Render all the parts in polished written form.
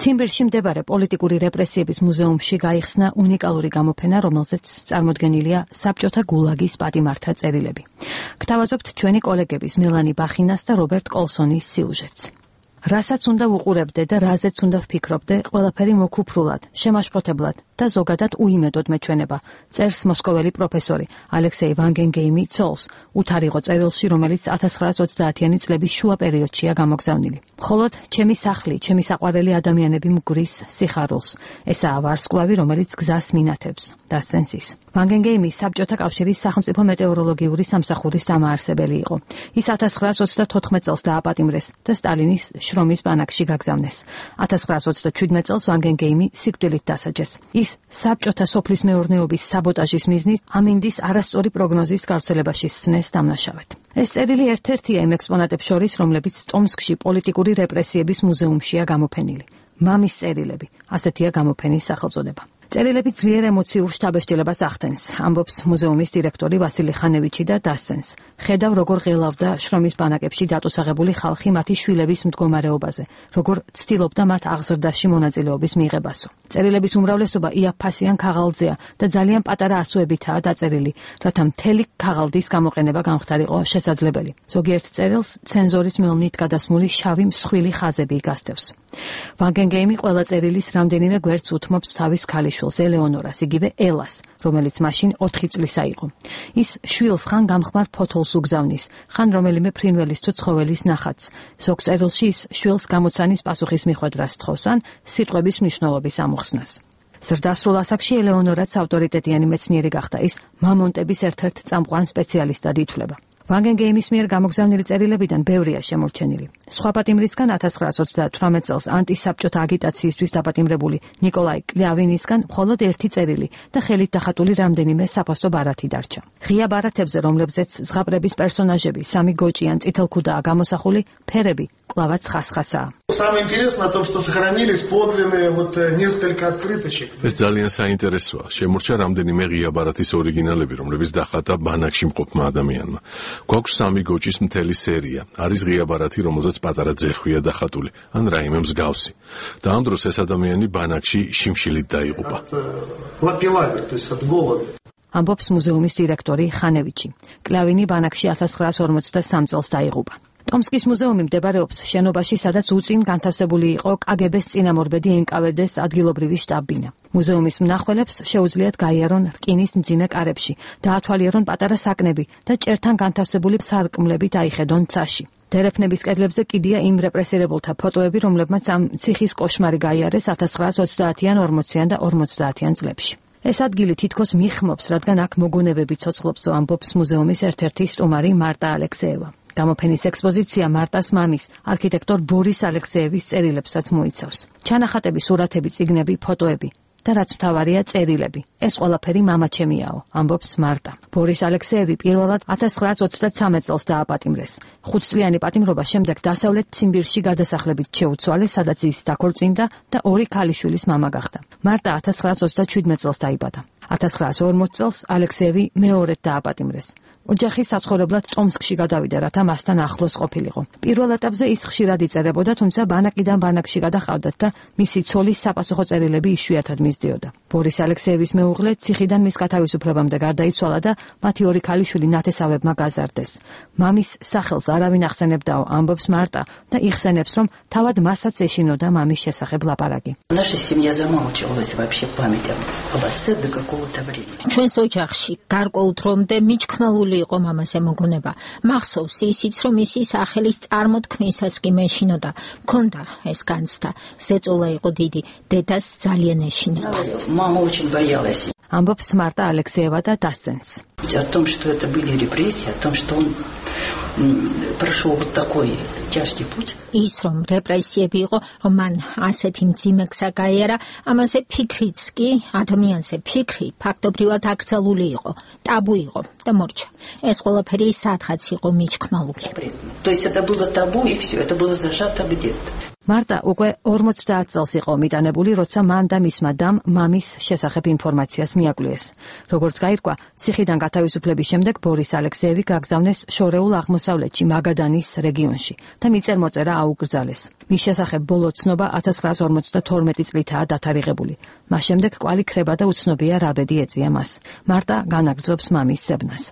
ციმბირში მდებარე პოლიტიკური რეპრესიების მუზეუმში გაიხსნა უნიკალური გამოფენა, რომელზეც წარმოდგენილია საბჭოთა გულაგის პატიმართა წერილები. გთავაზობთ ჩვენი კოლეგების მელანი ბახინას და რობერტ კოლსონის სიუჟეტს. რასაც უნდა ვუყურებდე და რაზეც უნდა ვფიქრობდე, ყველაფერი მოქუფრულად, შემაშფოთებლად და ზოგადად უიმედოდ მეჩვენება, წერს მოსკოველი პროფესორი ალექსეი ვანგენგეიმი ცოლს, უთარიღო წერილში, რომელიც 1930-იანი წლების შუა პერიოდშია გამოგზავნილი. მხოლოდ ჩემი სახლი, ჩემი საყვარელი ადამიანები მგვრის სიხარულს. ესაა ვარსკვლავი, რომელიც გზას მინათებს, დასცენს ის. ვანგენგეიმი საბჭოთა კავშირის სახელმწიფო მეტეოროლოგიური სამსახურის დამაარსებელი იყო. ის 1934 წელს დააპატიმრეს და სტალინის შრომის ბანაკში გაგზავნეს. 1937 წელს ვანგენგეიმი სიკვდილით დასაჯეს. ის საბჭოთა სოფლის მეურნეობის საბოტაჟის მიზნით ამინდის არასწორი პროგნოზის გავრცელებაში სცნეს დამნაშავედ. ეს წერილი ერთ-ერთია იმ ექსპონატებს შორის, რომლებიც ტომსკში პოლიტიკური რეპრესიების მუზეუმშია გამოფენილი. მამის წერილები, ასეთია გამოფენის სახელწოდება. წერილები ძლიერ ემოციურ შთაბეჭდილებას ახდენს, ამბობს მუზეუმის დირექტორი ვასილი ხანევიჩი და დასცენს. ხედავ, როგორ ღელავდა შრომის ბანაკებში დატოსაღებული ხალხი მათი შვილების მდგომარეობაზე, როგორ ცდილობდა მათ აღზრდაში მონაწილეობის მიღებასო. წერილების უმრავლესობა იაფფასიან ქაღალდზეა და ძალიან პატარა ასოებითაა დაწერილი, რათა მთელი ქაღალდის გამოყენება გამხდარიყო შესაძლებელი. ზოგიერთ წერილს ცენზორის მელნით გადასმული შავი მსხვილი ხაზები იგასდევს. ვანგენგეიმი ყველა წერილის რამდენიმე გვერდს უთმობს თავის ქალიშვილს ელეონორას, იგივე ელას, რომელიც მაშინ 4 წლისა იყო. ის შვილს ხან გამხმარ ფოთოლს უგზავნის, ხან რომელიმე ფრინველის თუ ცხოველის ნახატს. ზოგ წერილში ის შვილს გამოცანის პასუხის მიხვედრას თხოვს ან სიტყვების მნიშვნელობის ამოხსნას. ზრდასრულ ასაკში ელეონორაც ავტორიტეტიანი მეცნიერი გახდა, ის მამონტების ერთ-ერთ წამყვან სპეციალისტად ითვლება. ვანგენგეიმის მიერ გამოგზავნილი წერილებიდან ბევრია შემორჩენილი. სხვა პატიმრისგან 1938 წელს ანტისაბჭოთა აგიტაციისთვის დაპატიმრებული ნიკოლაი კლявინისგან მხოლოდ ერთი წერილი და ხელით დახატული რამდენიმე საფოსტო ბარათი დარჩა. ღია ბარათებზე, რომლებზეც ზღაპრების პერსონაჟები, სამი გოჭი ან წითელქუდაა გამოსახული, ფერები კლავაც ხასხასაა. Самое интересное в том, что сохранились подлинные несколько открыточек. ეს ძალიან საინტერესოა. შემორჩა რამდენიმე ღია ბარათის ორიგინალები, რომლებიც დახატა ბანაკში მყოფმა ადამიანმა. გვაქვს სამი გოჭის მთელი სერია. არის ღია ბარათი, რომელზეც პატარა ძეხვია დახატული, ან რაიმე მსგავსი. და ამ დროს ეს ადამიანი ბანაკში შიმშილით დაიღუპა. ამბობს მუზეუმის დირექტორი ხანევიჩი. კლявინი ბანაკში 1943 წელს დაიღუპა. ტომსკის მუზეუმი მდებარეობს შენობაში, სადაც უწინ განთავსებული იყო კგბ-ს წინამორბედი NKVD-ს ადგილობრივი შტაბ-ბინა. მუზეუმის მნახველებს შეუძლიათ გაიარონ რკინის მძიმე კარებში, დაათვალიერონ პატარა საკნები და ჭერთან განთავსებული სარკმლებით აიხედონ ცაში. დერეფნების კედლებზე კიდია იმ რეპრესირებულთა ფოტოები, რომლებმაც ამ ციხის კოშმარი გაიარეს 1930-იან, 40-იან და 50-იან წლებში. ეს ადგილი თითქოს მიხმობს, რადგან აქ მოგონებები ცოცხლობსო, ამბობს მუზეუმის ერთ-ერთი სტუმარი მარტა ალექსეევა. გამოფენის ექსპოზიცია მარტას მამის, არქიტექტორ ბორის ალექსეევის წერილებსაც მოიცავს. ჩანახატები, სურათები, წიგნები, ფოტოები და რაც მთავარია წერილები. ეს ყველაფერი მამაჩემიაო, ამბობს მარტა. ბორის ალექსეევი პირველად 1933 წელს დააპატიმრეს. 5 წლიანი პატიმრობა შემდეგ დასავლეთ ციმბირში გადასახლებით შეუცვალეს, სადაც ის დაქორწინდა და 2 ქალიშვილის მამა გახდა. მარტა 1937 წელს დაიბადა. 1940 წელს ალექსეევი მეორედ დააპატიმრეს. ოჯახი საცხოვრებლად ტომსკში გადავიდა, რათა მასთან ახლოს ყოფილიყო. პირველ ეტაპზე ის ხშირად იწერებოდა, თუმცა ბანაკიდან ბანაკში გადაყავდათ და მისი ცოლის საპასუხო წერილები იშვიათად მისდიოდა. ბორის ალექსეევის მეუღლე ციხიდან მის გათავისუფლებამდე გარდაიცვალა და მათი 2 ქალიშვილი ნათესავებმა გაზარდეს. მამის სახელს არავინ ახსენებდაო, ამბობს მარტა და იხსენებს, რომ თავად მასაც ეშინოდა მამის შესახებ ლაპარაკი. ჩვენს ოჯახში გარკვეულ დრომდე მიჩქმელული იყო მამაზე მოგონება. მახსოვს ისიც, რომ ისი სახელის წარმოთქმისაც კი მეშინოდა. მქონდა ეს განცდა. ზეწოლა იყო დიდი, დედას ძალიან ეშინოდა. Мама очень боялась. ამბობს მარტა ალექსეევა და დასცენს. О том, что это были репрессии, о том, что он прошел вот такой тяжкий путь. ის რომ რეპრესიები იყო, რომ მან ასეთი მძიმე გზა გაიარა, ამაზე ფიქრიც კი, ადამიანზე ფიქრი ფაქტობრივად აკრძალული იყო, ტაბუ იყო და მორჩა. ეს ყველაფერი სადღაც იყო მიჩქმალული. То есть это было табу и все, это было зажато где-то. მარტა უკვე 50 წელს იყო მიტანებული, როცა მან და მისმა დამ მამის შესახებ ინფორმაციას მიაკვლიეს. როგორც გაირკვა, ციხიდან გათავისუფლების შემდეგ ბორის ალექსეევი გაგზავნეს შორეულ აღმოსავლეთში, მაგადანის რეგიონში და მიწერ-მოწერა აუკრძალეს. მის შესახებ ბოლო ცნობა 1952 წლითაა დათარიღებული. მას შემდეგ კვალი ქრება და უცნობია რა ბედი ეწია მას. მარტა განაგრძობს მამის ზებნას.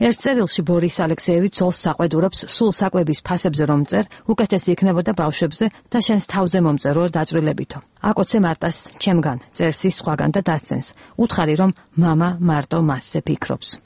ერთ წერილში ბორის ალექსეევი ცოლს საყვედურობს სულ საკვების ფასებზე რომ წერ, უკეთესი იქნებოდა ბავშვებზე და შენს თავზე მომწერო დაწვრილებითო. აკოცე მარტას ჩემგან, წერს ის სხვაგან და დასცენს. უთხარი რომ მამა მარტო მასზე ფიქრობს.